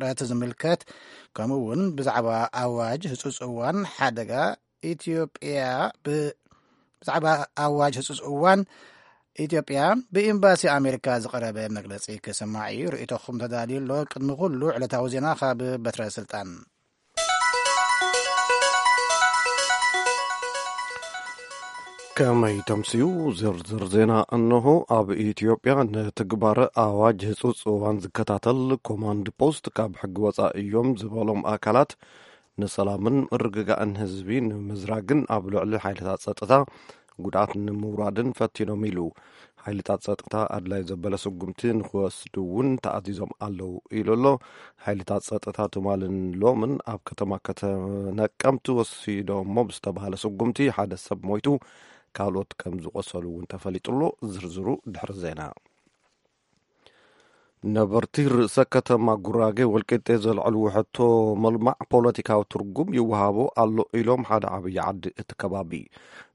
ውጥረት ዝምልከት፣ ከምኡ እውን ብዛዕባ ኣዋጅ ህጹጽ እዋን ሓደጋ ኢትዮጵያ ብ-፣ ብዛዕባ ኣዋጅ ህጹጽ እዋን ኢትዮጵያ ብኤምባሲ ኣሜሪካ ዝቐረበ መግለጺ ክስማዕ እዩ። ርእይቶኹም ተዳልዩ ኣሎ። ቅድሚ ኩሉ ዕለታዊ ዜና ካብ በትረ ስልጣን። ከመይ ተምስዩ? ዝርዝር ዜና እነሆ። ኣብ ኢትዮጵያ ንትግባረ ኣዋጅ ህጹጽ እዋን ዝከታተል ኮማንድ ፖስት ካብ ሕጊ ወጻኢ እዮም ዝበሎም ኣካላት ንሰላምን ምርግጋእን ህዝቢ ንምዝራግን ኣብ ልዕሊ ሓይልታት ጸጥታ ጉድኣት ንምውራድን ፈቲኖም ኢሉ። ሓይልታት ጸጥታ ኣድላይ ዘበለ ስጉምቲ ንክወስዱ እውን ተኣዚዞም ኣለዉ ኢሉ ኣሎ። ሓይልታት ጸጥታ ትማልን ሎምን ኣብ ከተማ ከተነቀምቲ ወሲዶሞ ብዝተባሃለ ስጉምቲ ሓደ ሰብ ሞይቱ፣ ካልኦት ከም ዝቆሰሉ እውን ተፈሊጡ ኣሎ። ዝርዝሩ ድሕሪ ዜና። ነበርቲ ርእሰ ከተማ ጉራጌ ወልቂጤ ዘልዕልዎ ሕቶ ምልማዕ ፖለቲካዊ ትርጉም ይወሃቦ ኣሎ ኢሎም ሓደ ዓብዪ ዓዲ እቲ ከባቢ።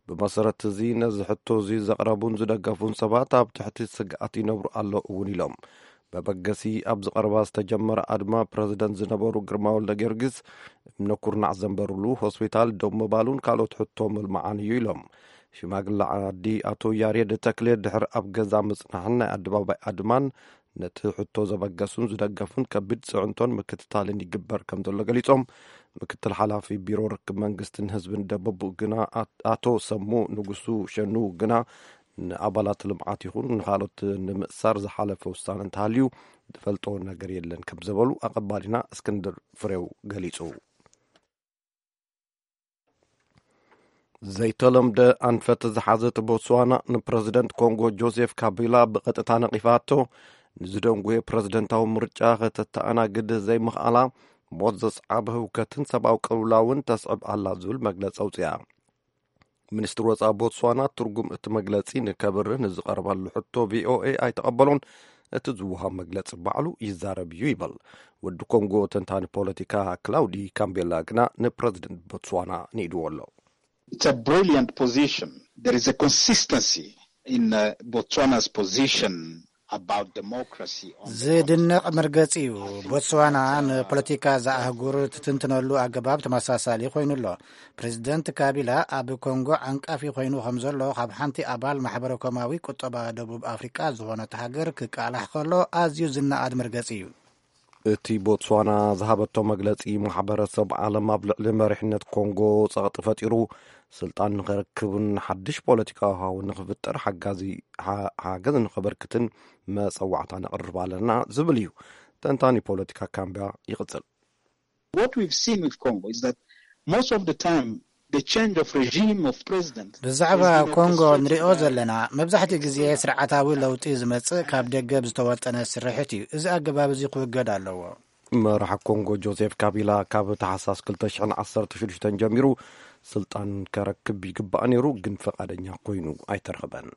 ብመሰረት እዚ ነዚ ሕቶ እዚ ዘቕረቡን ዝደገፉን ሰባት ኣብ ትሕቲ ስግኣት ይነብሩ ኣሎ እውን ኢሎም። መበገሲ ኣብዚ ቀረባ ዝተጀመረ ኣድማ ፕረዚደንት ዝነበሩ ግርማ ወልደ ጊዮርጊስ እምነ ኩርናዕ ዘንበሩሉ ሆስፒታል ደው ምባሉን ካልኦት ሕቶ ምልማዓን እዩ ኢሎም። ሽማግለ ዓዲ ኣቶ ያሬድ ተክሌ ድሕሪ ኣብ ገዛ ምጽናሕን ናይ ኣደባባይ ኣድማን ነቲ ሕቶ ዘበገሱን ዝደገፉን ከቢድ ጽዕንቶን ምክትታልን ይግበር ከም ዘሎ ገሊጾም። ምክትል ሓላፊ ቢሮ ርክብ መንግስትን ህዝብን ደቡብ ግና ኣት-፣ ኣቶ ሰሙ ንጉሱ ሸኑ ግና ንኣባላት ልምዓት ይኹን ንኻልኦት ንምእሳር ዝሓለፈ ውሳነ እንተሃልዩ ዝፈልጦ ነገር የለን ከም ዝበሉ ኣቐባሊና እስክንድር ፍሬው ገሊጹ። ዘይተለምደ ኣንፈት ዝሓዘት ቦትስዋና ንፕረዚደንት ኮንጎ ጆሴፍ ካቢላ ብቐጥታ ነቒፋቶ። ንዝደንጉየ ፕረዚደንታዊ ምርጫ ከተተኣናግድ ዘይምኽኣላ ሞት ዘስዓበ ህውከትን ሰብኣዊ ቅልውላውን ተስዕብ ኣላ ዝብል መግለጺ ኣውፅያ። ሚኒስትሪ ወፃኢ ቦትስዋና ትርጉም እቲ መግለጺ ንከብርህ ንዝቐረበሉ ሕቶ ቪኦኤ ኣይተቐበሎን። እቲ ዝወሃብ መግለጺ ባዕሉ ይዛረብ እዩ ይበል። ወዲ ኮንጎ ተንታኒ ፖለቲካ ክላውዲ ካምቤላ ግና ንፕረዚደንት ቦትስዋና ንኢድዎ ኣሎ። It's a brilliant position. There is a consistency in uh, Botswana's position about democracy on the ዝድነቕ መርገጺ እዩ። ቦትስዋና ንፖለቲካ እዛ ኣህጉር ትትንትነሉ ኣገባብ ተመሳሳሊ ኮይኑ ኣሎ። ፕሬዚደንት ካቢላ ኣብ ኮንጎ ዓንቃፊ ኮይኑ ከም ዘሎ ካብ ሓንቲ ኣባል ማሕበረ ኮማዊ ቁጠባ ደቡብ ኣፍሪቃ ዝኾነት ሃገር ክቃላሕ ከሎ ኣዝዩ ዝነኣድ መርገጺ እዩ። እቲ ቦትስዋና ዝሃበቶ መግለጺ ማሕበረሰብ ዓለም ኣብ ልዕሊ መሪሕነት ኮንጎ ጸቕጢ ፈጢሩ ስልጣን ንኸረክብን ሓድሽ ፖለቲካዊ ሃዋህው ንኽፍጠር ሓጋዚ ሓ-፣ ሓገዝ ንኸበርክትን መጸዋዕታ ነቕርብ ኣለና ዝብል እዩ። ተንታኒ ፖለቲካ ካምቢያ ይቕጽል። What we've seen with Congo is that most of the time the change of regime of president ብዛዕባ has been ኮንጎ orchestrated ንሪኦ by ዘለና መብዛሕትኡ ግዜ ስርዓታዊ ለውጢ ዝመጽእ ካብ ደገ ብዝተወጠነ ስርሕት እዩ። እዚ ኣገባብ እዚ ክውገድ ኣለዎ። መራሒ ኮንጎ ጆሴፍ ካቢላ ካብ ታሕሳስ ክልተ ሽሕን ዓሰርተ ሽዱሽተን ጀሚሩ ስልጣን ከረክብ ይግባእ ነይሩ፣ ግን ፈቓደኛ ኮይኑ ኣይተረኽበን።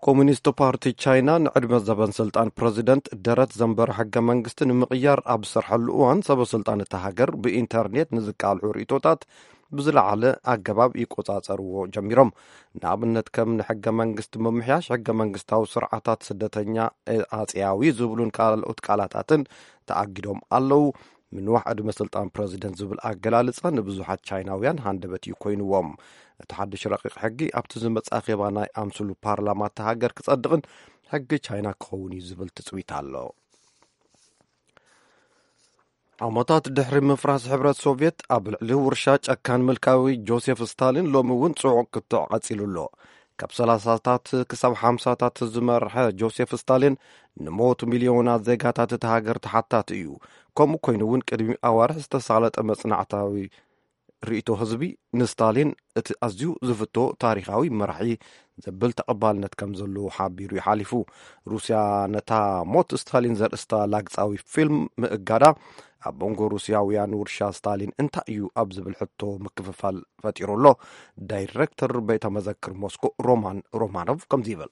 ኮሙኒስት ፓርቲ ቻይና ንዕድመ ዘበን ስልጣን ፕረዚደንት ደረት ዘንበረ ሕገ መንግስቲ ንምቕያር ኣብ ዝሰርሐሉ እዋን ሰበ ስልጣን እታ ሃገር ብኢንተርኔት ንዝቃልሑ ርእይቶታት ብዝለዓለ ኣገባብ ይቆጻጸርዎ ጀሚሮም። ንኣብነት ከም ንሕገ መንግስቲ ምምሕያሽ፣ ሕገ መንግስታዊ ስርዓታት ስደተኛ፣ ኣጽያዊ ዝብሉን ካልኦት ቃላታትን ተኣጊዶም ኣለዉ። ምንዋሕ ዕድመ ስልጣን ፕረዚደንት ዝብል ኣገላልጻ ንብዙሓት ቻይናውያን ሃንደበት እዩ ኮይንዎም። እቲ ሓድሽ ረቂቕ ሕጊ ኣብቲ ዝመጽእ ኣኼባ ናይ ኣምስሉ ፓርላማ እታ ሃገር ክጸድቕን ሕጊ ቻይና ክኸውን እዩ ዝብል ትጽቢት ኣሎ። ዓመታት ድሕሪ ምፍራስ ሕብረት ሶቭየት ኣብ ልዕሊ ውርሻ ጨካን ምልካዊ ጆሴፍ ስታሊን ሎሚ እውን ጽዑቕ ክትዕ ቀጺሉ ኣሎ። ካብ ሰላሳታት ክሳብ ሓምሳታት ዝመርሐ ጆሴፍ ስታሊን ንሞት ሚልዮናት ዜጋታት እታ ሃገር ተሓታቲ እዩ። ከምኡ ኮይኑ እውን ቅድሚ ኣዋርሕ ዝተሳለጠ መጽናዕታዊ ርእይቶ ህዝቢ ንስታሊን እቲ ኣዝዩ ዝፍቶ ታሪኻዊ መራሒ ዘብል ተቐባልነት ከም ዘለዎ ሓቢሩ ይሓሊፉ። ሩስያ ነታ ሞት ስታሊን ዘርእስታ ላግጻዊ ፊልም ምእጋዳ ኣብ መንጎ ሩስያውያን ውርሻ ስታሊን እንታይ እዩ ኣብ ዝብል ሕቶ ምክፍፋል ፈጢሩ ኣሎ። ዳይሬክተር ቤተ መዘክር ሞስኮ ሮማን ሮማኖቭ ከምዚ ይብል።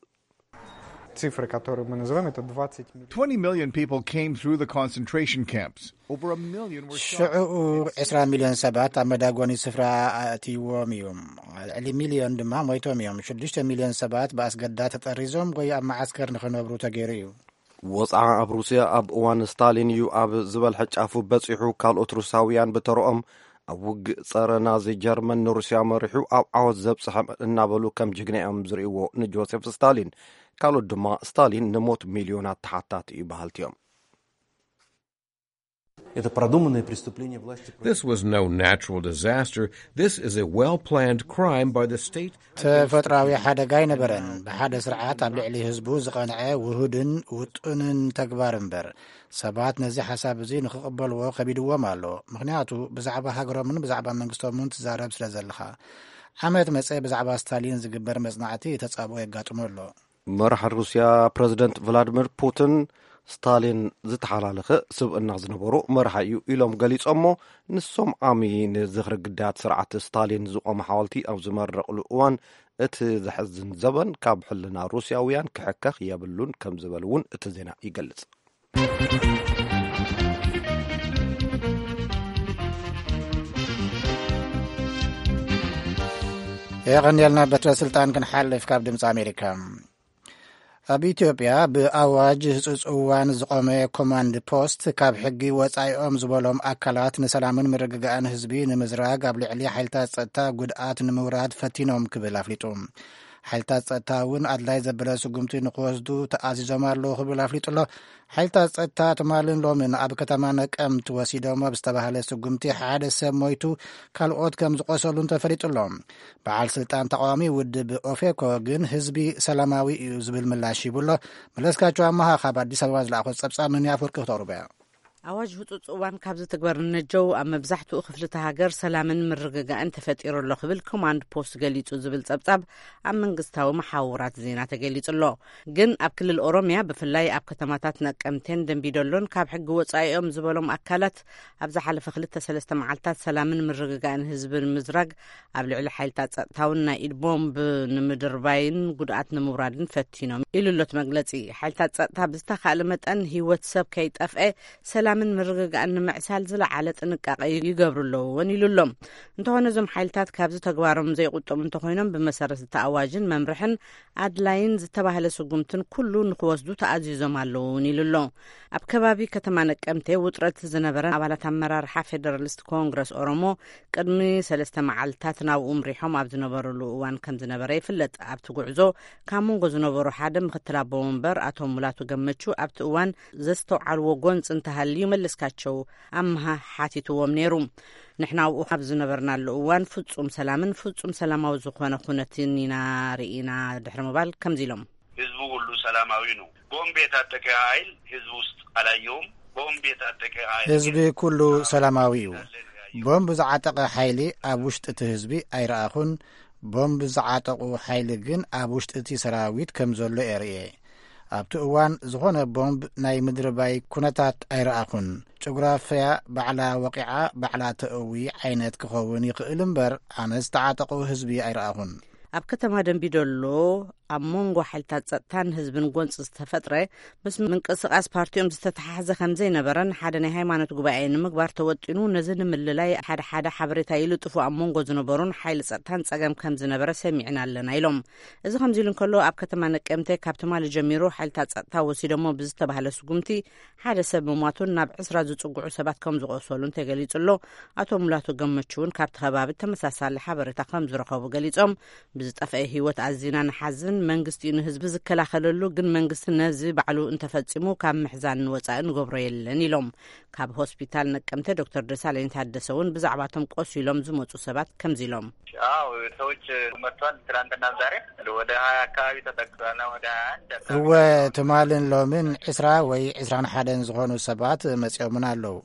Цифры, которые мы называем, это двадцать миллионов. Twenty million people came through the concentration camps. Over a million were shot. ሽዑ ዕስራ ሚልዮን ሰባት ኣብ መዳጎኒ ስፍራ ኣእትይዎም እዮም። ልዕሊ ሚልዮን ድማ ሞይቶም እዮም። ሽዱሽተ ሚልዮን ሰባት ብኣስገዳድ ተጠሪዞም ወይ ኣብ መዓስከር ንኽነብሩ ተገይሩ እዩ። ወጽዓ ኣብ ሩስያ ኣብ እዋን ስታሊን እዩ ኣብ ዝበልሐ ጫፉ በጺሑ። ካልኦት ሩስያውያን ብተረኦም ኣብ ውግእ ጸረ ናዚ ጀርመን ንሩስያ መሪሑ ኣብ ዓወት ዘብጽሐ እናበሉ ከም ጅግና እዮም ዝርእይዎ ንጆሴፍ ስታሊን። ካልኦት ድማ ስታሊን ንሞት ሚልዮናት ተሓታቲ እዩ በሃልቲ እዮም። Это продуманное преступление власти против... This was no natural disaster. This is a well-planned crime by the state. ተፈጥራዊ ሓደጋ ኣይነበረን። ብሓደ ስርዓት ኣብ ልዕሊ ህዝቡ ዝቐንዐ ውሁድን ውጡንን ተግባር እምበር፣ ሰባት ነዚ ሓሳብ እዚ ንክቕበልዎ ከቢድዎም ኣሎ። ምኽንያቱ ብዛዕባ ሃገሮምን ብዛዕባ መንግስቶምን ትዛረብ ስለ ዘለኻ። ዓመት መጸ ብዛዕባ ስታሊን ዝግበር መጽናዕቲ ተጻብኦ የጋጥሞ ኣሎ። መራሒ ሩስያ ፕረዚደንት ቭላድሚር ፑቲን ስታሊን ዝተሓላለኸ ስብእና ዝነበሮ መራሒ እዩ ኢሎም ገሊጾሞ። ንሶም ዓሚ ንዝኽሪ ግዳያት ስርዓት ስታሊን ዝቖመ ሓወልቲ ኣብ ዝመረቕሉ እዋን፣ እቲ ዘሕዝን ዘበን ካብ ሕልና ሩስያውያን ክሕከኽ የብሉን ከም ዝበሉ እውን እቲ ዜና ይገልጽ። የቐንየልና። በትረ ስልጣን ክንሓልፍ ካብ ድምፂ ኣሜሪካ። ኣብ ኢትዮጵያ ብኣዋጅ ህፁፅ እዋን ዝቆመ ኮማንድ ፖስት ካብ ሕጊ ወፃኢኦም ዝበሎም ኣካላት ንሰላምን ምርግጋእን ህዝቢ ንምዝራግ ኣብ ልዕሊ ሓይልታት ፀጥታ ጉድኣት ንምውራድ ፈቲኖም ክብል ኣፍሊጡ። ሓይልታት ፀጥታ እውን ኣድላይ ዘበለ ስጉምቲ ንክወስዱ ተኣዚዞም ኣለዉ ክብል ኣፍሊጡ ኣሎ። ሓይልታት ጸጥታ ትማልን ሎምን ኣብ ከተማ ነቀምት ወሲዶም ኣብ ዝተባህለ ስጉምቲ ሓደ ሰብ ሞይቱ፣ ካልኦት ከም ዝቆሰሉን ተፈሊጡ ኣሎ። በዓል ስልጣን ተቃዋሚ ውድብ ኦፌኮ ግን ህዝቢ ሰላማዊ እዩ ዝብል ምላሽ ሂቡ ኣሎ። መለስካቸው ኣማሃ ካብ ኣዲስ ኣበባ ዝለኣኾ ጸብጻብ ምን ኣፈወርቂ ክተቕርቦ እያ። ኣዋጅ ህጹጽ እዋን ካብ ዝትግበር ንነጀው ኣብ መብዛሕትኡ ክፍልቲ ሃገር ሰላምን ምርግጋእን ተፈጢሩ ኣሎ ክብል ኮማንድ ፖስት ገሊጹ ዝብል ጸብጻብ ኣብ መንግስታዊ መሓውራት ዜና ተገሊጹ ኣሎ። ግን ኣብ ክልል ኦሮሚያ ብፍላይ ኣብ ከተማታት ነቀምቴን ደንቢዶሎን ካብ ሕጊ ወጻኢኦም ዝበሎም ኣካላት ኣብ ዝሓለፈ ክልተ ሰለስተ መዓልታት ሰላምን ምርግጋእን ህዝቢ ንምዝራግ ኣብ ልዕሊ ሓይልታት ጸጥታውን ናይ ኢድ ቦምብ ንምድርባይን ጉድኣት ንምውራድን ፈቲኖም ኢሉ ኣሎ እቲ መግለጺ። ሓይልታት ጸጥታ ብዝተኻእለ መጠን ህይወት ሰብ ከይጠፍአ ሰላምን ምርግጋእን ንምዕሳል ዝለዓለ ጥንቃቐ ይገብሩ ኣለዎ እውን ኢሉ ኣሎ። እንተኾነ እዞም ሓይልታት ካብዚ ተግባሮም ዘይቁጠቡ እንተኾይኖም ብመሰረት እቲ ኣዋጅን መምርሕን ኣድላይን ዝተባህለ ስጉምትን ኩሉ ንክወስዱ ተኣዚዞም ኣለዉ እውን ኢሉ ኣሎ። ኣብ ከባቢ ከተማ ነቀምቴ ውጥረት ዝነበረ ኣባላት ኣመራርሓ ፌደራሊስት ኮንግረስ ኦሮሞ ቅድሚ ሰለስተ መዓልታት ናብኡ ምሪሖም ኣብ ዝነበሩሉ እዋን ከም ዝነበረ ይፍለጥ። ኣብቲ ጉዕዞ ካብ መንጎ ዝነበሩ ሓደ ምክትል ኣቦ ወንበር ኣቶ ሙላቱ ገመቹ ኣብቲ እዋን ዘስተውዓልዎ ጎንፂ እንተሃልዩ መለስካቸው ኣምሃ ሓቲትዎም ነይሩ። ንሕና ኣብኡ ኣብ ዝነበርናሉ እዋን ፍጹም ሰላምን ፍጹም ሰላማዊ ዝኾነ ኩነትን ኢና ርኢና ድሕሪ ምባል ከምዚ ኢሎም። ህዝቡ ሁሉ ሰላማዊ ነው። ቦምብ የታጠቀ ኃይል ህዝብ ውስጥ አላየውም። ቦምብ የታጠቀ ኃይል ህዝቢ ኩሉ ሰላማዊ እዩ። ቦምብ ዝዓጠቐ ሓይሊ ኣብ ውሽጢ እቲ ህዝቢ ኣይረኣኹን። ቦምብ ዝዓጠቑ ሓይሊ ግን ኣብ ውሽጢ እቲ ሰራዊት ከም ዘሎ እየ ርእየ። ኣብቲ እዋን ዝኾነ ቦምብ ናይ ምድርባይ ኩነታት ኣይረኣኹን። ጭጉራፍያ ባዕላ ወቒዓ ባዕላ ተእዊ ዓይነት ክኸውን ይኽእል እምበር፣ ኣነ ዝተዓጠቑ ህዝቢ ኣይረኣኹን። ኣብ ከተማ ደንቢዶሎ ኣብ መንጎ ሓይልታት ጸጥታን ህዝብን ጎንጺ ዝተፈጥረ ምስ ምንቅስቓስ ፓርቲኦም ዝተተሓሕዘ ከም ዘይነበረን ሓደ ናይ ሃይማኖት ጉባኤ ንምግባር ተወጢኑ ነዚ ንምልላይ ሓደ ሓደ ሓበሬታ ይልጥፉ ኣብ መንጎ ዝነበሩን ሓይሊ ጸጥታን ጸገም ከም ዝነበረ ሰሚዕና ኣለና ኢሎም። እዚ ከምዚ ኢሉ እንከሎ ኣብ ከተማ ነቀምቴ ካብ ትማሊ ጀሚሩ ሓይልታት ጸጥታ ወሲዶሞ ብዝተባህለ ስጉምቲ ሓደ ሰብ ምሟቱን ናብ ዕስራ ዝጽግዑ ሰባት ከም ዝቆሰሉን ተገሊጹ ኣሎ። ኣቶ ሙላቱ ገመቹ እውን ካብቲ ከባቢ ተመሳሳሊ ሓበሬታ ከም ዝረኸቡ ገሊጾም፣ ብዝጠፍአ ህይወት ኣዚና ንሓዝን፣ መንግስቲ እዩ ንህዝቢ ዝከላኸለሉ፣ ግን መንግስቲ ነዚ ባዕሉ እንተፈጺሙ ካብ ምሕዛን ንወጻኢ ንገብሮ የለን ኢሎም። ካብ ሆስፒታል ነቀምተ ዶክተር ደሳለኝ ታደሰ እውን ብዛዕባቶም ቆሲሎም ዝመጹ ሰባት ከምዚ ኢሎም። አዎ ሰዎች መጥቷል። ትናንትና ዛሬ ወደ ሀያ አካባቢ ተጠቅሷል። ወደ ሀያ አንድ አካባቢ እወ፣ ትማልን ሎምን ዕስራ ወይ ዕስራን ሓደን ዝኾኑ ሰባት መጺኦምን ኣለዉ።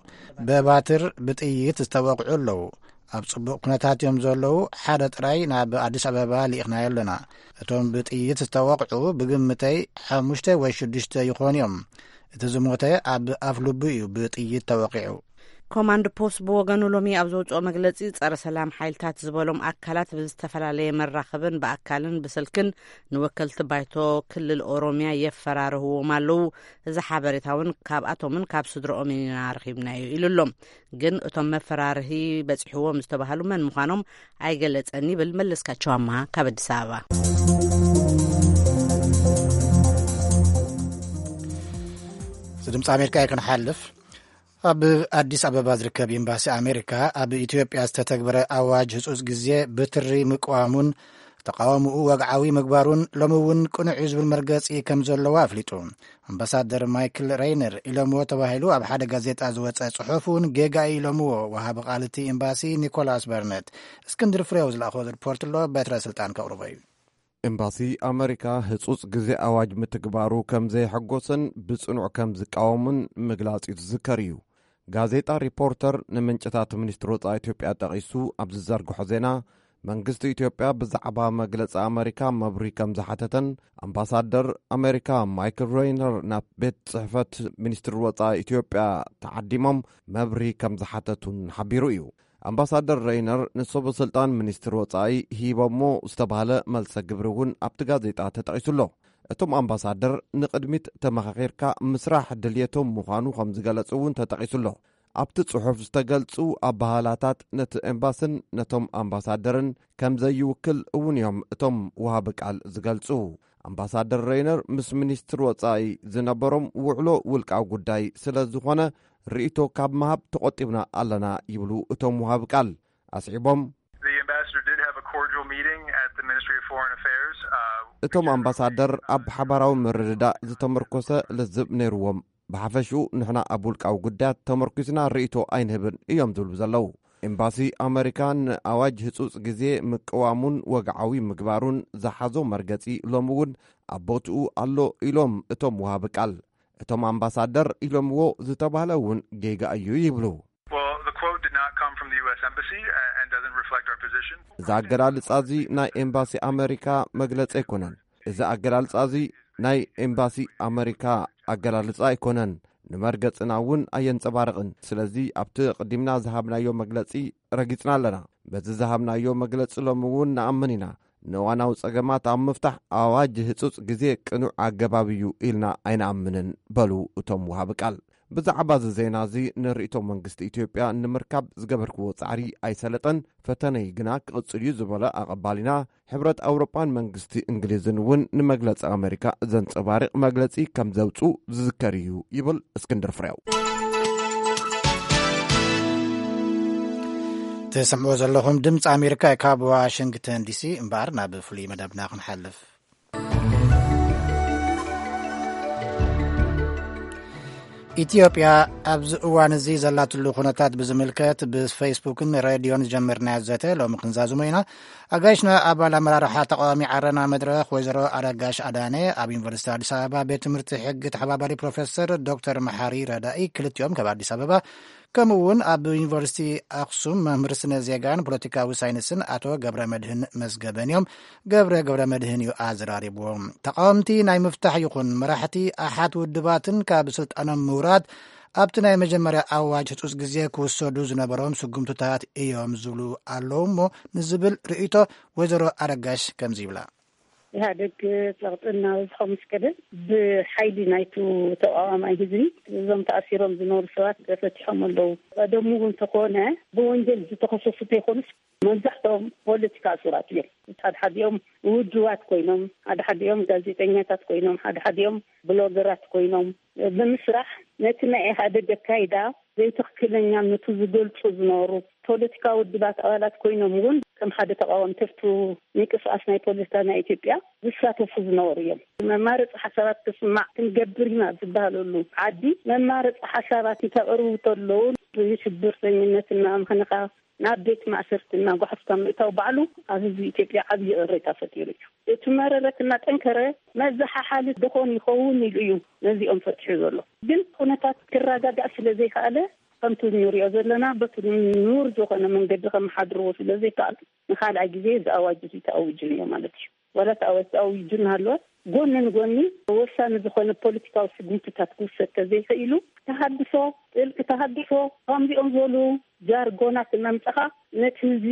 ብባትር ብጥይት ዝተወቕዑ ኣለዉ። ኣብ ጽቡቕ ኩነታት እዮም ዘለዉ። ሓደ ጥራይ ናብ ኣዲስ ኣበባ ልኢኽናዮ ኣለና። እቶም ብጥይት ዝተወቕዑ ብግምተይ ሓሙሽተ ወይ ሽዱሽተ ይኾኑ እዮም። እቲ ዝሞተ ኣብ ኣፍ ልቡ እዩ ብጥይት ተወቒዑ። ኮማንድ ፖስት ብወገኑ ሎሚ ኣብ ዘውፅኦ መግለፂ፣ ፀረ ሰላም ሓይልታት ዝበሎም ኣካላት ብዝተፈላለየ መራኸብን ብኣካልን ብስልክን ንወከልቲ ባይቶ ክልል ኦሮሚያ የፈራርህዎም ኣለዉ። እዚ ሓበሬታ እውን ካብኣቶምን ካብ ስድረኦምን ኢና ረኺብናዮ ኢሉ ኣሎ። ግን እቶም መፈራርሂ በፂሕዎም ዝተባሃሉ መን ምዃኖም ኣይገለፀን ይብል መለስካቸው ኣምሃ ካብ ኣዲስ ኣበባ። እዚ ድምፂ ኣሜሪካ እዩ። ክንሓልፍ፣ ኣብ ኣዲስ ኣበባ ዝርከብ ኤምባሲ ኣሜሪካ ኣብ ኢትዮጵያ ዝተተግበረ ኣዋጅ ህጹጽ ግዜ ብትሪ ምቅዋሙን ተቃውምኡ ወግዓዊ ምግባሩን ሎሚ እውን ቅኑዕ እዩ ዝብል መርገጺ ከም ዘለዎ ኣፍሊጡ። ኣምባሳደር ማይክል ሬይነር ኢሎምዎ ተባሂሉ ኣብ ሓደ ጋዜጣ ዝወጸ ጽሑፍ እውን ጌጋ እዩ ኢሎምዎ። ወሃቢ ቃል እቲ ኤምባሲ ኒኮላስ በርነት። እስክንድር ፍሬው ዝለኣኾ ሪፖርት ኣሎ፣ በትረ ስልጣን ከቕርቦ እዩ። ኤምባሲ ኣመሪካ ህጹጽ ግዜ ኣዋጅ ምትግባሩ ከም ዘየሐጎሰን ብጽኑዕ ከም ዝቃወሙን ምግላጽ እዩ ዝዝከር እዩ። ጋዜጣ ሪፖርተር ንምንጭታት ሚኒስትሪ ወጻኢ ኢትዮጵያ ጠቒሱ ኣብ ዝዘርግሖ ዜና፣ መንግስቲ ኢትዮጵያ ብዛዕባ መግለጺ ኣመሪካ መብሪ ከም ዝሓተተን ኣምባሳደር ኣመሪካ ማይክል ሬይነር ናብ ቤት ጽሕፈት ሚኒስትሪ ወጻኢ ኢትዮጵያ ተዓዲሞም መብሪ ከም ዝሓተቱን ሓቢሩ እዩ። ኣምባሳደር ሬይነር ንሰበ ስልጣን ሚኒስትሪ ወጻኢ ሂቦሞ ዝተባህለ መልሰ ግብሪ እውን ኣብቲ ጋዜጣ ተጠቒሱ ኣሎ። እቶም ኣምባሳደር ንቕድሚት ተመኻኺርካ ምስራሕ ድልየቶም ምዃኑ ከም ዝገለጹ እውን ተጠቒሱ ኣሎ። ኣብቲ ጽሑፍ ዝተገልጹ ኣባህላታት ነቲ ኤምባስን ነቶም ኣምባሳደርን ከም ዘይውክል እውን እዮም እቶም ወሃቢ ቃል ዝገልጹ። ኣምባሳደር ሬይነር ምስ ሚኒስትሪ ወጻኢ ዝነበሮም ውዕሎ ውልቃዊ ጉዳይ ስለ ዝኾነ ርእይቶ ካብ ምሃብ ተቖጢብና ኣለና ይብሉ እቶም ወሃቢ ቃል። ኣስዒቦም፣ The ambassador did have a cordial meeting at the Ministry of Foreign Affairs, uh, እቶም ኣምባሳደር ኣብ ሓባራዊ ምርድዳእ ዝተመርኮሰ ልዝብ ነይርዎም። ብሓፈሽኡ ንሕና ኣብ ውልቃዊ ጉዳያት ተመርኪስና ርእይቶ ኣይንህብን እዮም ዝብሉ ዘለዉ። ኤምባሲ ኣመሪካ ንኣዋጅ ህጹጽ ግዜ ምቅዋሙን ወግዓዊ ምግባሩን ዝሓዞ መርገጺ ሎሚ እውን ኣብ ቦትኡ ኣሎ ኢሎም እቶም ወሃቢ ቃል። እቶም ኣምባሳደር ኢሎምዎ ዝተባህለ እውን ጌጋ እዩ ይብሉ። Well, the quote did not come from the U S Embassy, uh, and doesn't reflect our position. እዚ ኣገላልጻ እዚ ናይ ኤምባሲ ኣመሪካ መግለጺ ኣይኮነን። እዚ ኣገላልጻ እዚ ናይ ኤምባሲ ኣመሪካ ኣገላልጻ ኣይኮነን። ንመርገጽና እውን ኣየንጸባርቕን። ስለዚ ኣብቲ ቅዲምና ዝሃብናዮ መግለጺ ረጊጽና ኣለና። በዚ ዝሃብናዮ መግለጺ ሎሚ እውን ንኣምን ኢና። ንእዋናዊ ጸገማት ኣብ ምፍታሕ ኣዋጅ ህጹጽ ግዜ ቅኑዕ ኣገባብ እዩ ኢልና ኣይንኣምንን በሉ እቶም ወሃቢ ቃል። ብዛዕባ እዚ ዜና እዚ ንርእይቶ መንግስቲ ኢትዮጵያ ንምርካብ ዝገበርክዎ ጻዕሪ ኣይሰለጠን። ፈተነይ ግና ክቕጽል እዩ ዝበለ ኣቐባሊና፣ ሕብረት ኣውሮጳን መንግስቲ እንግሊዝን እውን ንመግለጺ ኣመሪካ ዘንጸባርቕ መግለጺ ከም ዘውጽኡ ዝዝከር እዩ ይብል እስክንድር ፍሬው። ትሰምዕዎ ዘለኹም ድምፂ ኣሜሪካ እዩ ካብ ዋሽንግተን ዲሲ። እምበኣር ናብ ፍሉይ መደብና ክንሓልፍ። ኢትዮጵያ ኣብዚ እዋን እዚ ዘላትሉ ኩነታት ብዝምልከት ብፌስቡክን ሬድዮን ዝጀመርናዮ ዘተ ሎሚ ክንዛዝሞ ኢና። ኣጋይሽና ኣባል ኣመራርሓ ተቃዋሚ ዓረና መድረኽ ወይዘሮ ኣረጋሽ ኣዳነ፣ ኣብ ዩኒቨርሲቲ ኣዲስ ኣበባ ቤት ትምህርቲ ሕጊ ተሓባባሪ ፕሮፌሰር ዶክተር መሓሪ ረዳኢ ክልቲኦም ካብ ኣዲስ ኣበባ፣ ከምኡ እውን ኣብ ዩኒቨርሲቲ ኣክሱም መምህር ስነ ዜጋን ፖለቲካዊ ሳይንስን ኣቶ ገብረ መድህን መዝገበን እዮም። ገብረ ገብረ መድህን እዩ ኣዘራሪብዎም። ተቃወምቲ ናይ ምፍታሕ ይኹን መራሕቲ ኣሓት ውድባትን ካብ ስልጣኖም ምውራድ ኣብቲ ናይ መጀመርያ ኣዋጅ ህጹጽ ግዜ ክውሰዱ ዝነበሮም ስጉምትታት እዮም ዝብሉ ኣለዉ እሞ ንዝብል ርእይቶ ወይዘሮ ኣረጋሽ ከምዚ ይብላ። ኢህኣደግ ጸቕጢ እናበዝሖ ምስ ከደ ብሓይሊ ናይቱ ተቃዋማይ ህዝቢ እዞም ተኣሲሮም ዝነበሩ ሰባት ተፈቲሖም ኣለዉ። ቀደሙ እውን እንተኾነ ብወንጀል ዝተኸሰሱ እንተይኮኑስ መብዛሕትኦም ፖለቲካ እሱራት እዮም። ሓድሓዲኦም ውድባት ኮይኖም፣ ሓድሓዲኦም ጋዜጠኛታት ኮይኖም፣ ሓድሓዲኦም ብሎገራት ኮይኖም ብምስራሕ ነቲ ናይ ኢህኣደግ ኣካይዳ ዘይትኽክለኛነቱ ዝገልጹ ዝነበሩ ፖለቲካዊ ውድባት ኣባላት ኮይኖም እውን ከም ሓደ ተቃዋሚ ትርቱ ምንቅስቃስ ናይ ፖለቲካ ናይ ኢትዮጵያ ዝሳተፉ ዝነበሩ እዮም። መማረፂ ሓሳባት ክስማዕ ክንገብር ኢና ዝበሃለሉ ዓዲ መማረፂ ሓሳባት እንተቅርቡ ከለዉ ብሽብርተኝነት እናኣምኸንኻ ናብ ቤት ማእሰርቲ እናጓሕፍካ ምእታው ባዕሉ ኣብ ህዝቢ ኢትዮጵያ ዓብዪ ቅሬታ ፈጢሩ እዩ። እቲ መረረት እናጠንከረ መዘሓሓሊ ድኾን ይኸውን ኢሉ እዩ ነዚኦም ፈቲሑ ዘሎ። ግን ኩነታት ክረጋጋእ ስለ ዘይከኣለ ከምቲ እንሪኦ ዘለና በቲ ንቡር ዝኾነ መንገዲ ከመሓድርዎ ስለ ዘይከኣሉ ንኻልኣይ ግዜ እዚ ኣዋጅ እዚ ተኣዊጁ ነይሩ ማለት እዩ። ዋላ እቲ ኣዋጅ ተኣዊጁ እናሃለወ ጎኒ ንጎኒ ወሳኒ ዝኾነ ፖለቲካዊ ስጉምትታት ክውሰድ ተዘይኽኢሉ ተሃድሶ፣ ጥልቂ ተሃድሶ፣ ከምዚኦም ዝበሉ ጃርጎናት እናምጻኻ ነቲ ህዝቢ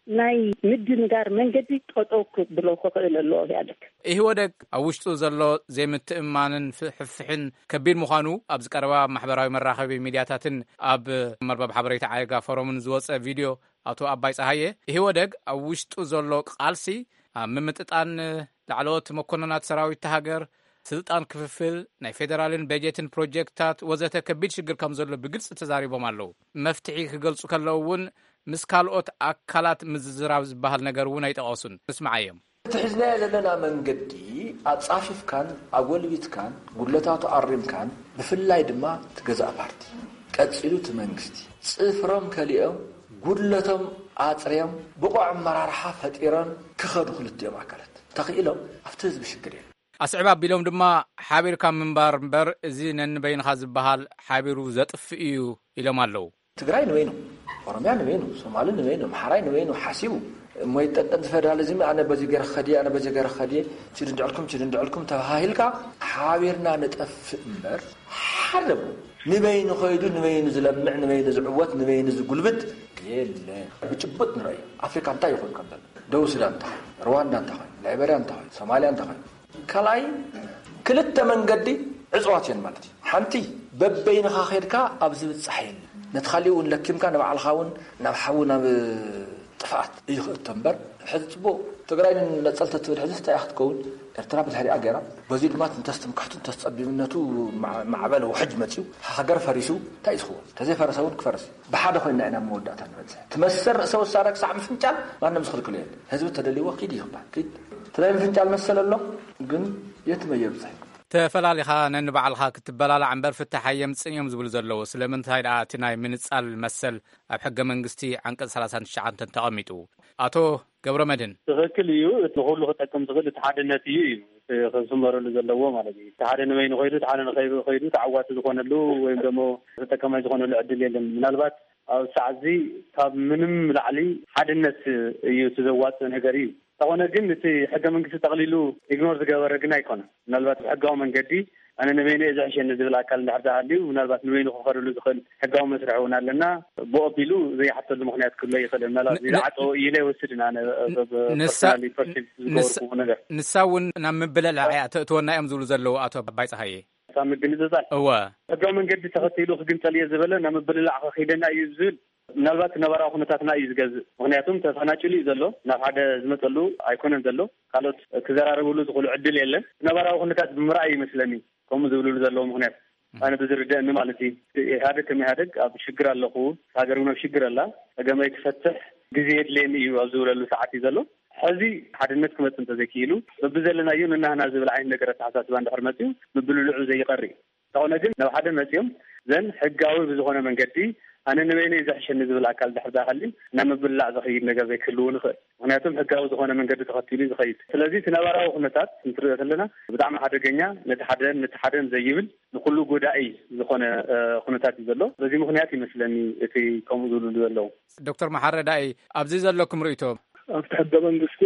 ናይ ምድንጋር መንገዲ ጠጠው ክብሎ ክኽእል ኣለዎ ኢህኣደግ። ኢህወደግ ኣብ ውሽጡ ዘሎ ዘይምትእምማንን ፍሕፍሕን ከቢድ ምዃኑ ኣብዚ ቀረባ ኣብ ማሕበራዊ መራኸቢ ሚድያታትን ኣብ መርበብ ሓበሬታ ዓየጋ ፎረምን ዝወጸ ቪድዮ ኣቶ ኣባይ ጸሃየ፣ ኢህወደግ ኣብ ውሽጡ ዘሎ ቃልሲ ኣብ ምምጥጣን ላዕለዎት መኮንናት ሰራዊት ሃገር ስልጣን ክፍፍል፣ ናይ ፌደራልን በጀትን ፕሮጀክትታት ወዘተ ከቢድ ሽግር ከም ዘሎ ብግልፂ ተዛሪቦም ኣለዉ። መፍትሒ ክገልፁ ከለዉ እውን ምስ ካልኦት ኣካላት ምዝዝራብ ዝበሃል ነገር እውን ኣይጠቐሱን። ንስምዓዮም። እቲ ሒዝናዮ ዘለና መንገዲ ኣጻፊፍካን ኣጎልቢትካን ጉድለታቱ ኣሪምካን፣ ብፍላይ ድማ እቲ ገዛእ ፓርቲ ቀጺሉ እቲ መንግስቲ ጽፍሮም ከሊኦም ጉድለቶም ኣጽርዮም ብቑዕ ኣመራርሓ ፈጢሮም ክኸዱ ክልቲኦም ኣካላት ተኽኢሎም ኣብቲ ህዝቢ ሽግር የለን። ኣስዕብ ኣቢሎም ድማ ሓቢርካ ምንባር እምበር እዚ ነንበይንኻ ዝበሃል ሓቢሩ ዘጥፍእ እዩ ኢሎም ኣለዉ። ትግራይ ንበይኑ፣ ኦሮምያ ንበይኑ፣ ሶማሊ ንበይኑ፣ ኣምሓራይ ንበይኑ ሓሲቡ እሞ ይጠንጠን ፌደራሊዝም፣ ኣነ በዚ ገይረ ክኸድየ፣ ኣነ በዚ ገይረ ክኸድየ፣ ችድንድዕልኩም ችድንድዕልኩም ተባሃሂልካ ሓቢርና ንጠፍእ እምበር ሓደ ንበይኑ ከይዱ ንበይኑ ዝለምዕ ንበይኑ ዝዕወት ንበይኑ ዝጉልብት የለ። ብጭቡጥ ንረእዩ ኣፍሪካ እንታይ ይኾን ከም ዘሎ፣ ደቡብ ሱዳን እንታይ ኮይኑ፣ ሩዋንዳ እንታይ ኮይኑ፣ ላይበርያ እንታይ ኮይኑ፣ ሶማልያ እንታይ ኮይኑ፣ ካልኣይ ክልተ መንገዲ ዕፅዋት እየን ማለት እዩ። ሓንቲ በበይንኻ ኸድካ ኣብ ዝብፃሕ የለ፣ ነቲ ካሊእ እውን ለኪምካ ንባዕልኻ እውን ናብ ሓዊ ናብ ጥፍኣት እዩ ክእቶ እምበር። ሕዚ ፅቡቅ ትግራይ ነፀልተ ትብል ሕዚ እንታይ ክትከውን፣ ኤርትራ ብድሕሪኣ ገይራ፣ በዚ ድማ እንተስ ትምክሕቱ እንተስ ፀቢብነቱ ማዕበል ውሕጅ መፅዩ ሃገር ፈሪሱ እንታይ እዩ ዝኸውን? ተዘይፈረሰ እውን ክፈርስ እዩ። ብሓደ ኮይና ኢና መወዳእታ ንበፅሕ። ትመሰል ርእሰ ውሳነ ክሳዕ ምፍንጫል ማንም ዝኽልክሎ የለ። ህዝቢ ተደልይዎ ኪድ ይኽባል ኪድ። እቲ ናይ ምፍንጫል መሰል ኣሎ፣ ግን የት መየብፅሕ? ተፈላሊኻ ነንባዕልኻ ክትበላላዕ እምበር ፍታሕ ኣየምፅእን እዮም ዝብሉ ዘለዉ። ስለምንታይ ደኣ እቲ ናይ ምንፃል መሰል ኣብ ሕገ መንግስቲ ዓንቀፅ ሰላሳን ትሽዓተን ተቐሚጡ? ኣቶ ገብረ መድህን። ትኽክል እዩ። እቲ ንኹሉ ክጠቅም ዝኽእል እቲ ሓድነት እዩ እዩ እቲ ክስመረሉ ዘለዎ ማለት እዩ። እቲ ሓደ ንበይኑ ከይዱ፣ እቲ ሓደ ንኸይዱ ከይዱ ተዓዋቲ ዝኾነሉ ወይም ደሞ ተጠቀማይ ዝኾነሉ ዕድል የለን። ምናልባት ኣብ ሰዓት እዚ ካብ ምንም ላዕሊ ሓድነት እዩ እቲ ዘዋፅእ ነገር እዩ። እንተኾነ ግን እቲ ሕገ መንግስቲ ጠቕሊሉ ኢግኖር ዝገበረ ግን ኣይኮነን። ምናልባት ብሕጋዊ መንገዲ ኣነ ንበይነ እየ ዝሕሸኒ ዝብል ኣካል እንድሕር ተሃልዩ ምናልባት ንበይኑ ክኸደሉ ዝኽእል ሕጋዊ መስርሕ እውን ኣለና። ብኦ ቢሉ ዘይሓተሉ ምኽንያት ክህሎ ይኽእል። ምናልባት ን- ን- ዝዓፀዎ እዩ ኢለ ይወስድ። ኣነ ብ- ብ- ንሳ- personally perceive ንሳ- ዝገበርኩዎ ነገር ንሳ እውን ናብ ምብልላዕ እያ ተእትወና እዮም ዝብሉ ዘለዉ ኣቶ ኣባይ ፀሃየ። ካብ ምግንፅፃል እወ። ሕጋዊ መንገዲ ተኸቲሉ ክግንፀል እየ ዝበለ ናብ ምብልላዕ ከኺደና እዩ ዝብል ምናልባት ነባራዊ ኩነታትና እዩ ዝገዝእ። ምኽንያቱም ተፈናጭሉ እዩ ዘሎ፣ ናብ ሓደ ዝመፀሉ ኣይኮነን ዘሎ። ካልኦት ክዘራረብሉ ዝኽእሉ ዕድል የለን። ነባራዊ ኩነታት ብምርኣይ ይመስለኒ ከምኡ ዝብልሉ ዘለዉ ምኽንያት። ኣነ ብዝርደእኒ ማለት እዩ። ኢህኣደግ ከም ኢህኣደግ ኣብ ሽግር ኣለኹ፣ ሃገር እውን ኣብ ሽግር ኣላ፣ ፀገመይ ክፈትሕ ግዜ የድልየኒ እዩ ኣብ ዝብለሉ ሰዓት እዩ ዘሎ። ሕዚ ሓድነት ክመፅእ እንተዘይክኢሉ በብዘለናዮ ንናህና ዝብል ዓይነት ነገር ኣተሓሳስባ እንድሕር መፅዩ ምብልልዑ ዘይቐር እዩ። እንተኾነ ግን ናብ ሓደ መፅዮም ዘን ሕጋዊ ብዝኾነ መንገዲ ኣነ ንበይነይ ዘሕሸኒ ዝብል ኣካል ድሕር ዳሃልዩ ናብ ምብላዕ ዝኸይድ ነገር ዘይክህልው ንኽእል። ምክንያቱም ሕጋዊ ዝኾነ መንገዲ ተኸቲሉ እዩ ዝኸይድ። ስለዚ እቲ ነባራዊ ኩነታት እንትሪኦ ከለና ብጣዕሚ ሓደገኛ፣ ነቲ ሓደን ነቲ ሓደን ዘይብል ንኩሉ ጎዳኢ ዝኾነ ኩነታት እዩ ዘሎ። በዚ ምክንያት ይመስለኒ እቲ ከምኡ ዝብሉ ዘለዉ። ዶክተር መሓረዳኢ፣ ኣብዚ ዘለኩም ርእይቶ? ኣብቲ ሕገ መንግስቲ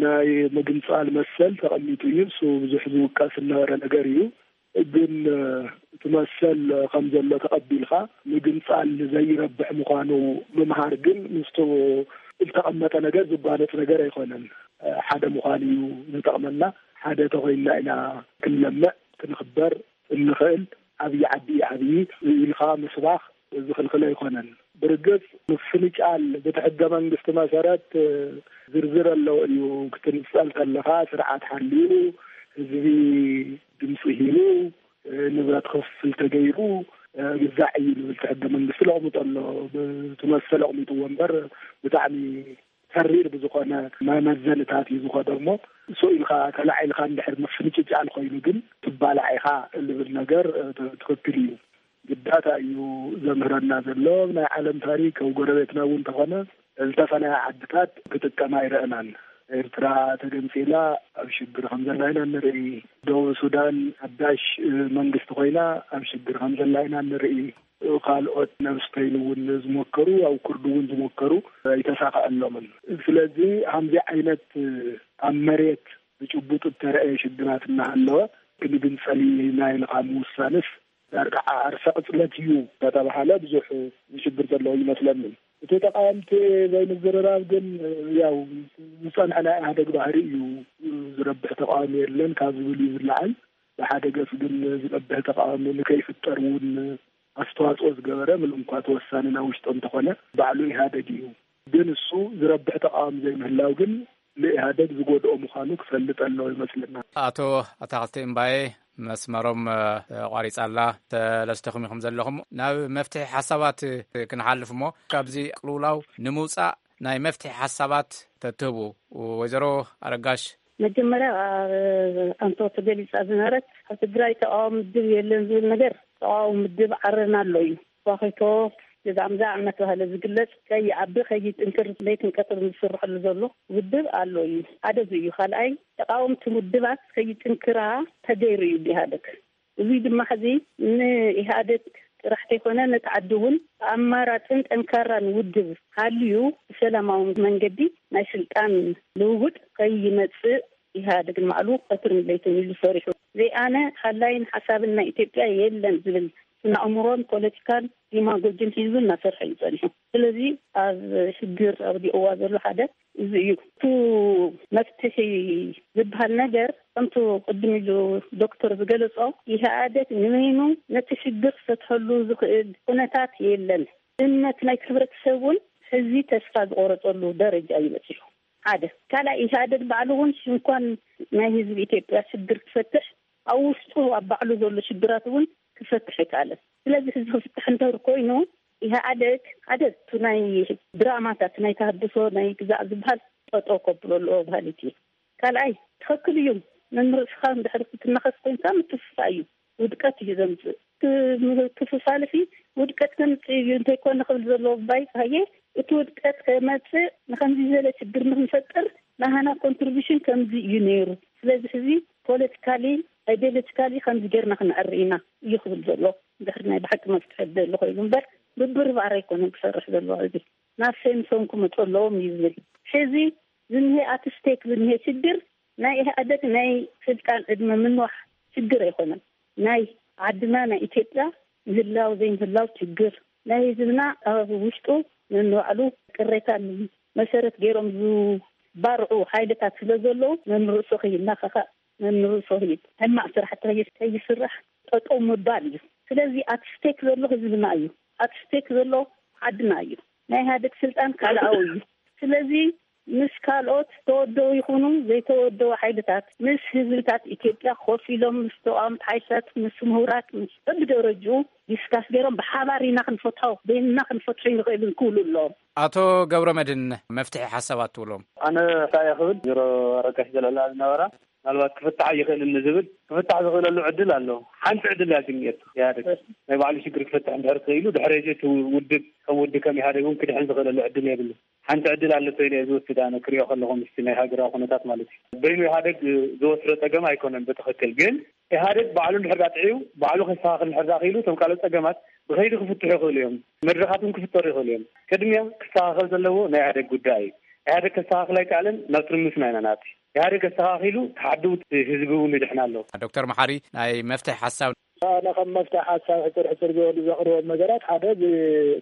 ናይ ምግንፃል መሰል ተቐሚጡ እዩ። እሱ ብዙሕ ዝውቀስ ዝነበረ ነገር እዩ። ግን እቲ መሰል ከም ዘሎ ተቐቢልካ ምግንፃል ዘይረብሕ ምዃኑ ምምሃር ግን ምስቱ ዝተቐመጠ ነገር ዝጓነፅ ነገር ኣይኮነን። ሓደ ምዃን እዩ ዝጠቕመና። ሓደ ተኾይንና ኢና ክንለምዕ ክንኽበር እንኽእል። ዓብዪ ዓዲ እዩ ዓብዪ ኢልካ ምስባኽ ዝኽልክል ኣይኮነን። ብርግፅ ምፍንጫል በቲ ሕገ መንግስቲ መሰረት ዝርዝር ኣለዎ እዩ። ክትንፀል ከለኻ ስርዓት ሓልዩ ህዝቢ ድምፂ ሂቡ ንብረት ክፍፍል ተገይሩ ግዛዕ እዩ ዝብል እቲ ሕገ መንግስቲ ለቕምጦ ኣሎ። ብትመስል ኣቕሚጥዎ እምበር ብጣዕሚ ተሪር ብዝኾነ መመዘንታት እዩ ዝኸዶ እሞ እሱ ኢልካ ተላዒልካ እንድሕር ምፍንጭጫል ኮይኑ ግን ትባላዕ ኢኻ ዝብል ነገር ትኽክል እዩ። ግዳታ እዩ ዘምህረና ዘሎ። ናይ ዓለም ታሪክ ኣብ ጎረቤትና እውን ተኾነ ዝተፈለያ ዓድታት ክጥቀማ ኣይረእናን። ኤርትራ ተገንፂላ ኣብ ሽግር ከም ዘላ ኢና ንርኢ። ደቡብ ሱዳን ሓዳሽ መንግስቲ ኮይና ኣብ ሽግር ከም ዘላ ኢና ንርኢ። ካልኦት ናብ ስፔን እውን ዝሞከሩ ኣብ ኩርድ እውን ዝሞከሩ ኣይተሳኸዐሎምን። ስለዚ ከምዚ ዓይነት ኣብ መሬት ብጭቡጥ እተረእየ ሽግራት እናሃለወ ክንግንፀል ኢና ኢልካ ምውሳንስ ዳርጋ ዓርሰ ቅፅለት እዩ እናተባሃለ ብዙሕ ዝሽግር ዘለዎ ይመስለኒ። እቲ ተቃወምቲ ዘይምዝርራብ ግን ያው ዝፀንሐ ናይ ኢህኣደግ ባህሪ እዩ። ዝረብሕ ተቃዋሚ የለን ካብ ዝብል እዩ ዝለዓል። ብሓደ ገፅ ግን ዝረብሕ ተቃዋሚ ንከይፍጠር እውን ኣስተዋፅኦ ዝገበረ ምንም እኳ ተወሳኒ ናብ ውሽጦ እንተኾነ ባዕሉ ኢህኣደግ እዩ። ግን እሱ ዝረብሕ ተቃዋሚ ዘይምህላው ግን ንኢህኣደግ ዝጎድኦ ምዃኑ ክፈልጥ ኣለዎ ይመስለና። ኣቶ ኣታኽልቲ እምባዬ፣ መስመሮም ተቋሪጻ ኣላ። ሰለስተኹም ኢኹም ዘለኹም። ናብ መፍትሒ ሓሳባት ክንሓልፍ እሞ፣ ካብዚ ቅልውላው ንምውጻእ ናይ መፍትሒ ሓሳባት ተትህቡ። ወይዘሮ ኣረጋሽ። መጀመርያ፣ ኣንቶ ተገሊጻ ዝነበረት፣ ኣብ ትግራይ ተቃዋሚ ውድብ የለን ዝብል ነገር፣ ተቃዋሚ ውድብ ዓረና ኣሎ እዩ። ቧኺቶ፣ ገዛምዛ እናተባህለ ዝግለጽ፣ ከይዓቢ ከይጥንክር ለይትን ቀትርን ዝስርሐሉ ዘሎ ውድብ ኣሎ እዩ። ሓደ እዚ እዩ። ካልኣይ፣ ተቃወምቲ ውድባት ከይጥንክራ ተገይሩ እዩ ብኢህኣደግ። እዚ ድማ ሕዚ ንኢህኣደግ ጥራሕ ከይኮነ፣ ነቲ ዓዲ እውን ኣማራፅን ጠንካራን ውድብ ሃልዩ፣ ብሰላማዊ መንገዲ ናይ ስልጣን ልውውጥ ከይመፅእ ኢህኣደግ ንባዕሉ ቀትርን ለይትን ኢሉ ሰሪሑ። ዘይኣነ ሓላይን ሓሳብን ናይ ኢትዮጵያ የለን ዝብል ስነ ኣእምሮን ፖለቲካን ዲማጎጂን ሒዙ እናሰርሐ እዩ ጸኒሑ። ስለዚ ኣብ ሽግር ኣውዲቕዋ ዘሎ ሓደ እዚ እዩ። እቲ መፍትሒ ዝበሃል ነገር፣ ከምቲ ቅድም ኢሉ ዶክተር ዝገለጾ፣ ኢህኣደግ ንበይኑ ነቲ ሽግር ክፈትሐሉ ዝኽእል ኩነታት የለን። እምነት ናይ ሕብረተሰብ እውን ሕዚ ተስፋ ዝቆረጸሉ ደረጃ እዩ በጺሑ። ሓደ። ካልኣይ፣ ኢህኣደግ ባዕሉ እውን ሽንኳን ናይ ህዝቢ ኢትዮጵያ ሽግር ክፈትሕ፣ ኣብ ውሽጡ ኣብ ባዕሉ ዘሎ ሽግራት እውን ክፈትሕ ኣይከኣለን። ስለዚ ሕዚ ክፍትሕ እንተር ኮይኑ፣ ኢህኣደግ ሓደ፣ እቲ ናይ ድራማታት ናይ ተሃድሶ ናይ ግዛዕ ዝበሃል ጠጠው ከብሎ ኣለዎ በሃሊት እየ። ካልኣይ፣ ትኽክል እዩ፣ መምህር እስኻ እንድሕር ክትናኸስ ኮይንካ ምትፍፋ እዩ፣ ውድቀት እዩ ዘምፅእ። ክ-፣ ክፍፋልፊ ውድቀት ከምፅእ እዩ፣ እንተይኮነ ክብል ዘለዎ ባይ ካየ፣ እቲ ውድቀት ከመፅእ ንከምዚ ዝበለ ችግር ንክንፈጥር ናህና ኮንትሪቢሽን ከምዚ እዩ ነይሩ። ስለዚ ሕዚ ፖለቲካሊ፣ ኣይዲዮሎጂካሊ ከምዚ ጌርና ክንዕሪ ኢና እዩ ክብል ዘሎ። እንድሕር ናይ ብሓቂ መፍትሒ ደሊ ኮይኑ እምበር፣ ብብርባር ኣይኮነን ክሰርሕ ዘለዎ። እዚ ናብ ሴምሶን ክመፁ ኣለዎም እዩ ዝብል። ሕዚ ዝንሄ ኣቲ ስቴክ ዝንሄ ችግር ናይ ኢህኣደግ ናይ ስልጣን ዕድመ ምንዋሕ ችግር ኣይኮነን። ናይ ዓድና ናይ ኢትዮጵያ ምህላው ዘይምህላው ችግር፣ ናይ ህዝብና ኣብ ውሽጡ ነንባዕሉ ቅሬታ መሰረት ገይሮም ዝባርዑ ሓይልታት ስለ ዘለዉ፣ ነንርእሱ ከይናኸኸ፣ ነንርእሱ ከይ-፣ ሕማቕ ስራሕቲ ከይ-፣ ከይስራሕ ጠጠው ምባል እዩ። ስለዚ ኣቲ ስቴክ ዘሎ ህዝብና እዩ። ኣቲ ስቴክ ዘሎ ዓድና እዩ። ናይ ኢህኣደግ ስልጣን ካልኣዊ እዩ። ስለዚ ምስ ካልኦት ተወደው ይኹኑ ዘይተወደው ሓይልታት፣ ምስ ህዝብታት ኢትዮጵያ ኮፍ ኢሎም፣ ምስ ተቃወምቲ ሓይልታት፣ ምስ ምሁራት፣ ምስ በብደረጅኡ ዲስካስ ገይሮም ብሓባር ኢና ክንፈትሖ፣ በይንና ክንፈትሖ ይንኽእል ክብሉ ኣለዎም። ኣቶ ገብረ መድህን፣ መፍትሒ ሓሳባት ትብሎም? ኣነ እንታይ እየ ክብል፣ ዜሮ ኣረጋሽ ዘልዕላ ዝነበራ፣ ምናልባት ክፍታሕ ኣይኽእልን ንዝብል፣ ክፍታሕ ዝኽእለሉ ዕድል ኣሎ። ሓንቲ ዕድል እያ ግን እየቱ ኢህኣደግ ናይ ባዕሉ ሽግር ክፈትሕ እንድሕር ክኢሉ፣ ድሕሪ እዚ እቲ ውድብ ከም ውድብ ከም ኢህኣደግ እውን ክድሕን ዝኽእለሉ ዕድል የብሉ። ሓንቲ ዕድል ኣለቶ ኢለ እየ ዝወስድ ኣነ፣ ክሪኦ ከለኹ ምስቲ ናይ ሃገራዊ ኩነታት ማለት እዩ። በይኑ ኢህኣደግ ዝወስዶ ጸገም ኣይኮነን ብትኽክል፣ ግን ኢህኣደግ ባዕሉ እንድሕር ዳ ጥዕዩ፣ ባዕሉ ከስተኻኽል እንድሕር ዳ ክኢሉ፣ እቶም ካልኦት ጸገማት ብኸይዲ ክፍትሑ ይኽእሉ እዮም። መድረኻት እውን ክፍጠሩ ይኽእሉ እዮም። ቅድሚያ ክስተኻኸል ዘለዎ ናይ ኢህኣደግ ጉዳይ እዩ። ኢህኣደግ ከስተኻኽል ኣይከኣለን፣ ናብ ትርምስ ኢና ኢና ንኣቱ። ኢህኣደግ ኣስተኻኺሉ፣ ተሓድኡ ህዝቢ እውን ይድሕን ኣሎ። ዶክተር መሓሪ፣ ናይ መፍትሒ ሓሳብ? ኣነ ከም መፍትሒ ሓሳብ ሕፅር ሕፅር ዝበሉ ዘቕርቦም ነገራት፣ ሓደ፣ እዚ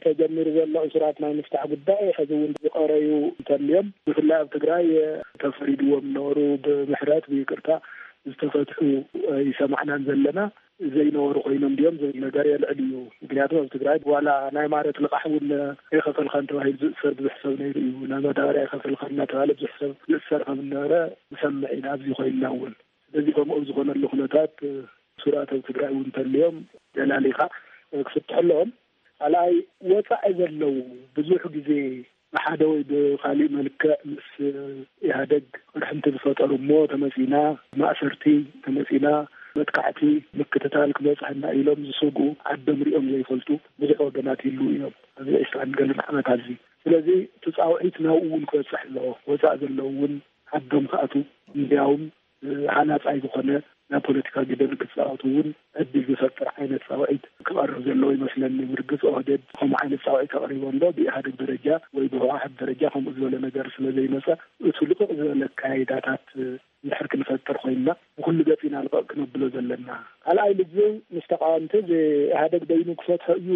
ተጀሚሩ ዘሎ እሱራት ናይ ምፍታሕ ጉዳይ፣ ሕዚ እውን ዝቐረዩ እንተልዮም፣ ብፍላይ ኣብ ትግራይ ተፈሪድዎም ነበሩ፣ ብምሕረት ብይቅርታ ዝተፈትሑ ኣይሰማዕናን ዘለና። ዘይነበሩ ኮይኖም ድዮም ዝብል ነገር የልዕል እዩ። ምክንያቱ ኣብ ትግራይ ዋላ ናይ ማረት ልቓሕ እውን ኣይኸፈልካን ተባሂሉ ዝእሰር ብዙሕ ሰብ ነይሩ እዩ። ናይ መዳበርያ ኣይኸፈልካን እናተባሃለ ብዙሕ ሰብ ዝእሰር ከም ዝነበረ ንሰምዕ ኢና ኣብዚ ኮይንና እውን። ስለዚ ከምኡ ኣብ ዝኾነሉ ኩነታት እሱራት ኣብ ትግራይ እውን እንተልዮም ገላሊኻ ክፍትሑ ኣለዎም። ካልኣይ፣ ወፃኢ ዘለዉ ብዙሕ ግዜ ብሓደ ወይ ብካሊእ መልክዕ ምስ ኢህኣደግ ቅርሕንቲ ዝፈጠሩ እሞ ተመፂና ማእሰርቲ፣ ተመፂና መጥቃዕቲ፣ ምክትታል ክበፅሐና ኢሎም ዝሰግኡ፣ ዓዶም ሪኦም ዘይፈልጡ ብዙሕ ወገናት ይህልዉ እዮም። ኣብዚ ዕስራን ገለን ዓመት ኣብዚ። ስለዚ እቲ ፃውዒት ናብኡ እውን ክበፅሕ ኣለዎ። ወፃእ ዘለዉ እውን ዓዶም ክኣትዉ፣ እንዲያውም ሃናፃይ ዝኾነ ናይ ፖለቲካ ግደ ንክፃወቱ እውን ዕድል ዝፈጥር ዓይነት ፃውዒት ክቐርብ ዘለዎ ይመስለኒ። ብርግፅ ኦህዴድ ከምኡ ዓይነት ፃውዒት ኣቕሪቡ ኣሎ። ብኢህኣደግ ደረጃ ወይ ብህወሓት ደረጃ ከምኡ ዝበለ ነገር ስለ ዘይመፀ፣ እቲ ልቑቕ ዝበለ ኣካያይዳታት እንድሕር ክንፈጥር ኮይንና፣ ብኩሉ ገፂ ኢና ልቐቕ ክነብሎ ዘለና። ካልኣይ ልዝብ ምስ ተቃወምቲ፣ እዚ ኢህኣደግ በይኑ ክፈትሖ እዩ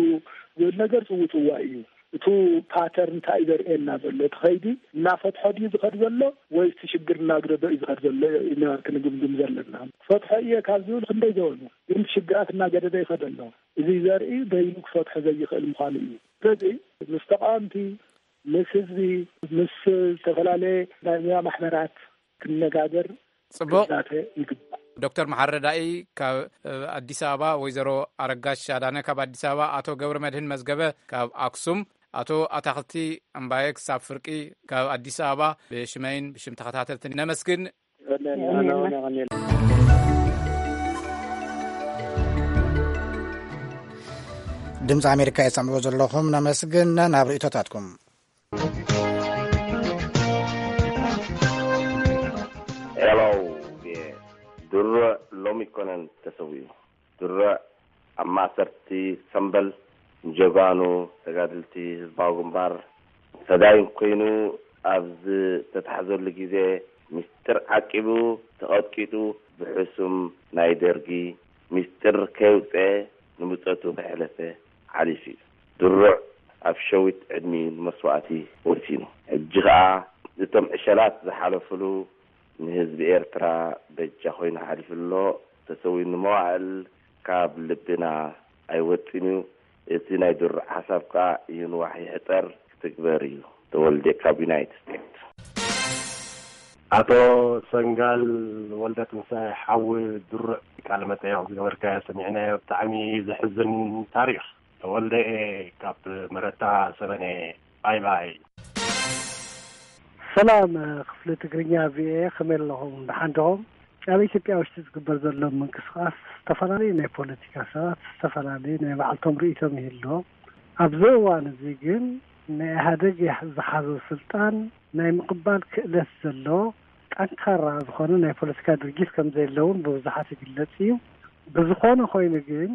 ዝብል ነገር ፅውፅዋይ እዩ። እቱ ፓተርን እንታይ እዩ ዘርእየና ዘሎ? እቲ ኸይዲ እናፈትሖ ድዩ ዝኸድ ዘሎ ወይስ እቲ ሽግር እናግደዶ እዩ ዝኸድ ዘሎ? ኢና ክንግምግም ዘለና። ክፈትሖ እየ ካብ ዝብል ክንደይ ዝበሉ፣ ግን ሽግራት እናገደደ ይኸድ ኣሎ። እዚ ዘርኢ በይኑ ክፈትሖ ዘይኽእል ምዃኑ እዩ። ስለዚ ምስ ተቃወምቲ፣ ምስ ህዝቢ፣ ምስ ዝተፈላለየ ናይ ሙያ ማሕበራት ክነጋገር ጽቡቕ። ክዛተ ይግባእ። ዶክተር መሓሪ ረዳኢ ካብ፣ እ፣ ኣዲስ ኣበባ፣ ወይዘሮ ኣረጋሽ ኣዳነ ካብ ኣዲስ ኣበባ፣ ኣቶ ገብረ መድህን መዝገበ ካብ ኣክሱም፣ ኣቶ ኣታኽልቲ እምባየ ክሳብ ፍርቂ ካብ ኣዲስ ኣበባ ብሽመይን ብሽም ተኸታተልትን ነመስግን። ድምፂ ኣሜሪካ የሰምዕዎ ዘለኹም፣ ነመስግን። ናብ ርእይቶታትኩም። ሄሎ፣ ድሩዕ ሎሚ ኮነን ተሰዊኡ። ድሩዕ ኣብ ማእሰርቲ ሰምበል ንጀጋኑ ተጋድልቲ ህዝባዊ ግንባር ፈዳይን ኮይኑ ኣብ ዝተታሕዘሉ ግዜ፣ ምስጢር ዓቂቡ ተቐጥቂጡ፣ ብሕሱም ናይ ደርጊ ምስጢር ከየውፅአ ንምጸቱ ከየሕለፈ ሓሊፉ እዩ። ድሩዕ ኣብ ሸዊት ዕድሚኡ ንመስዋእቲ ወሲኑ። ሕጂ ኸኣ እቶም ዕሸላት ዝሓለፉሉ ንህዝቢ ኤርትራ በጃ ኮይኑ ሓሊፉ ኣሎ። ተሰዊኡ ንመዋእል ካብ ልብና ኣይወጽን እዩ። እቲ ናይ ድሩዕ ሓሳብ ከኣ ይንዋሕ ይሕጸር ክትግበር እዩ። ተወልደ ካብ ዩናይትድ ስቴትስ። ኣቶ ሰንጋል ወልደ ትንሳኤ ሓዊ ድሩዕ ቃለ መጠየቕ ዝገበርካዮ ሰሚዕናዮ። ብጣዕሚ ዘሕዝን ታሪኽ። ተወልደ እየ ካብ መረታ ሰበነ። ባይ ባይ። ሰላም፣ ክፍሊ ትግርኛ ቪኦኤ፣ ከመይ ኣለኹም? ደሓን ዲኹም? ኣብ ኢትዮጵያ ውሽጢ ዝግበር ዘሎ ምንቅስቃስ ዝተፈላለዩ ናይ ፖለቲካ ሰባት ዝተፈላለዩ ናይ ባዕልቶም ርእይቶም ይህልዎም። ኣብዚ እዋን እዚ ግን ናይ ኢህኣደግ ዝሓዞ ስልጣን ናይ ምቕባል ክእለት ዘሎ ጠንካራ ዝኾነ ናይ ፖለቲካ ድርጅት ከም ዘየለውን ብብዙሓት ይግለጽ እዩ። ብዝኾነ ኮይኑ ግን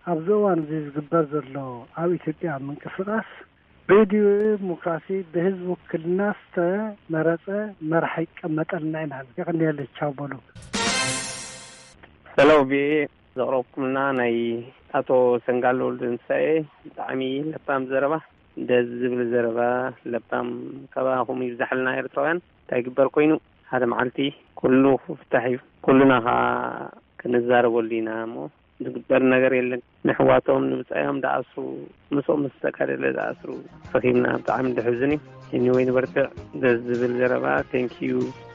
ኣብዚ እዋን እዚ ዝግበር ዘሎ ኣብ ኢትዮጵያ ምንቅስቃስ ብዲሞክራሲ ብህዝቢ ውክልና ዝተመረጸ መራሒ ይቀመጠልና ኢና። የቐንየለይ፣ ቻው በሉ። ሄሎ፣ ቪኦኤ ዘቕረብኩምልና ናይ ኣቶ ሰንጋል ወልደንሳኤ ብጣዕሚ ለባም ዘረባ፣ ደስ ዝብል ዘረባ፣ ለባም ካባኹም ይብዛሕልና ኤርትራውያን። እንታይ ይግበር ኮይኑ፣ ሓደ መዓልቲ ኩሉ ክፍታሕ እዩ። ኩሉና ኸኣ ክንዛረበሉ ኢና እሞ ዝግበር ነገር የለን። ንሕዋቶም ንብጻዮም ደኣስሩ፣ ምስኦም ምስ ተጋደለ ደኣስሩ ረኺብና፣ ብጣዕሚ ደሕዝን እዩ። ኤኒወይ ንበርትዕ። ደስ ዝብል ዘረባ። ቴንኪዩ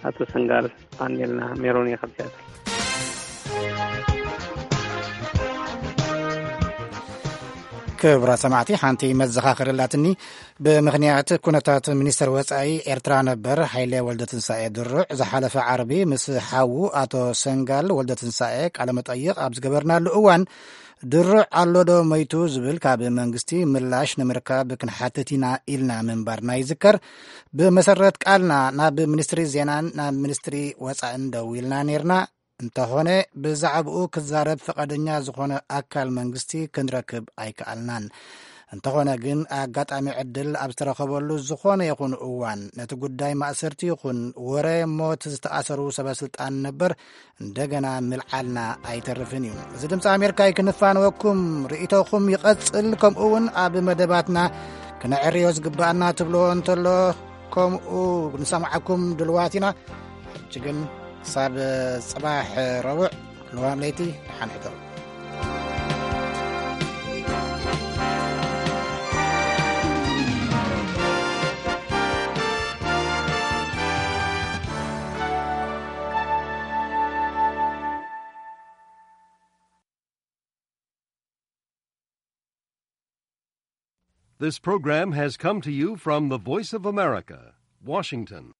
ኣቶ ሰንጋል። ኣንዴልና ሜሮን እየ ካብ ሲያትል። ክቡራት ሰማዕቲ፣ ሓንቲ መዘኻኸሪ ኣላትኒ። ብምኽንያት ኩነታት ሚኒስተር ወጻኢ ኤርትራ ነበር ሃይለ ወልደትንሳኤ ድሩዕ ዝሓለፈ ዓርቢ ምስ ሓዉ ኣቶ ሰንጋል ወልደትንሳኤ ቃለ መጠይቕ ኣብ ዝገበርናሉ እዋን፣ ድሩዕ ኣሎ ዶ መይቱ ዝብል ካብ መንግስቲ ምላሽ ንምርካብ ክንሓትት ኢና ኢልና ምንባርና ይዝከር። ብመሰረት ቃልና ናብ ሚኒስትሪ ዜናን ናብ ሚኒስትሪ ወጻእን ደዊልና ነይርና። እንተኾነ ብዛዕባኡ ክዛረብ ፍቓደኛ ዝኾነ ኣካል መንግስቲ ክንረክብ ኣይከኣልናን። እንተኾነ ግን ኣጋጣሚ ዕድል ኣብ ዝተረኸበሉ ዝኾነ ይኹን እዋን ነቲ ጉዳይ ማእሰርቲ ይኹን ወረ ሞት ዝተኣሰሩ ሰበ ስልጣን ነበር እንደገና ምልዓልና ኣይተርፍን እዩ። እዚ ድምፂ ኣሜሪካ እዩ፣ ክንፋነወኩም። ርእይቶኹም ይቐጽል፣ ከምኡ እውን ኣብ መደባትና ክነዕርዮ ዝግባኣና ትብልዎ እንተሎ ከምኡ ንሰምዓኩም ድልዋት ኢና። ሕጂ ግን ክሳብ ጽባሕ ረቡዕ ልዋም ለይቲ ደሓን ሕደሩ። This program has come to you from the Voice of America, Washington.